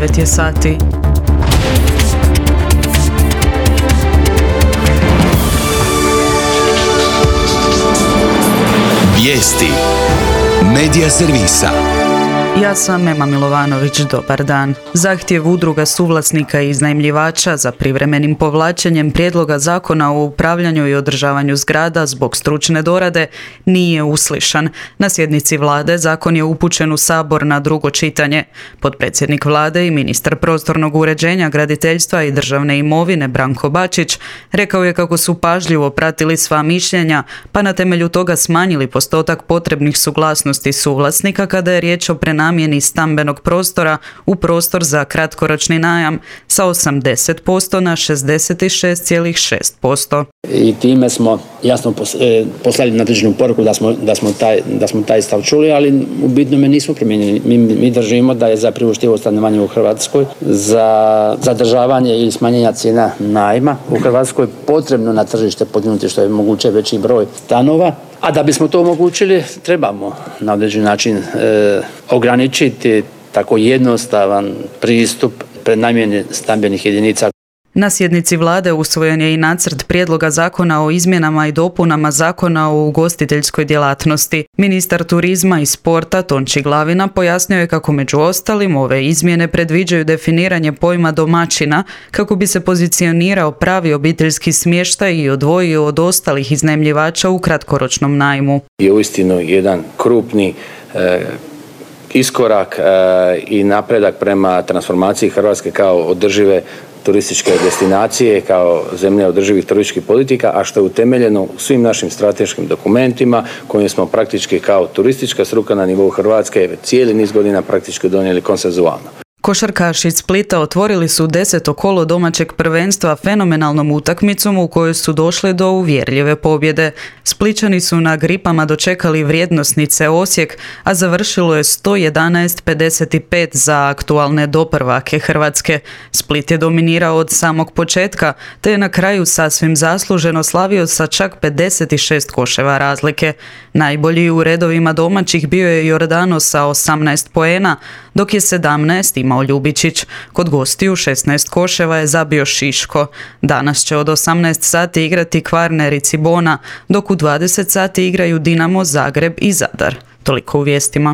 9 je sati. Vijesti Medija servisa. Ja sam Ema Milovanović, dobar dan. Zahtjev udruga suvlasnika i iznajmljivača za privremenim povlačenjem prijedloga zakona o upravljanju i održavanju zgrada zbog stručne dorade nije uslišan. Na sjednici vlade zakon je upućen u Sabor na drugo čitanje. Potpredsjednik vlade i ministar prostornog uređenja, graditeljstva i državne imovine Branko Bačić rekao je kako su pažljivo pratili sva mišljenja, pa na temelju toga smanjili postotak potrebnih suglasnosti suvlasnika kada je riječ o prenamjeni stambenog prostora u prostor za kratkoročni najam sa 80% na 66,6%. I time smo jasno poslali nadležnu poruku da smo taj stav čuli, ali u bitnome nismo promijenili. Mi držimo da je za priuštivo stanovanje u Hrvatskoj, za zadržavanje ili smanjenja cijena najma u Hrvatskoj potrebno na tržište podignuti što je moguće veći broj stanova. A da bismo to omogućili, trebamo na određeni način ograničiti tako jednostavan pristup prenamjeni stambenih jedinica. Na sjednici vlade usvojen je i nacrt prijedloga zakona o izmjenama i dopunama zakona o ugostiteljskoj djelatnosti. Ministar turizma i sporta Tonči Glavina pojasnio je kako među ostalim ove izmjene predviđaju definiranje pojma domaćina kako bi se pozicionirao pravi obiteljski smještaj i odvojio od ostalih iznajmljivača u kratkoročnom najmu. Je uistinu jedan krupni iskorak i napredak prema transformaciji Hrvatske kao održive turističke destinacije, kao zemlje održivih turističkih politika, a što je utemeljeno u svim našim strateškim dokumentima kojim smo praktički kao turistička struka na nivou Hrvatske cijeli niz godina praktički donijeli konsenzualno. Košarkaši iz Splita otvorili su 10. kolo domaćeg prvenstva fenomenalnom utakmicom u kojoj su došli do uvjerljive pobjede. Splićani su na gripama dočekali vrijednosnice Osijek, a završilo je 111-55 za aktualne doprvake Hrvatske. Split je dominirao od samog početka, te je na kraju sasvim zasluženo slavio sa čak 56 koševa razlike. Najbolji u redovima domaćih bio je Jordano sa 18 poena, dok je 17 imao Ljubičić. Kod gostiju 16 koševa je zabio Šiško. Danas će od 18 sati igrati Kvarner i Cibona, dok u 20 sati igraju Dinamo, Zagreb i Zadar. Toliko u vijestima.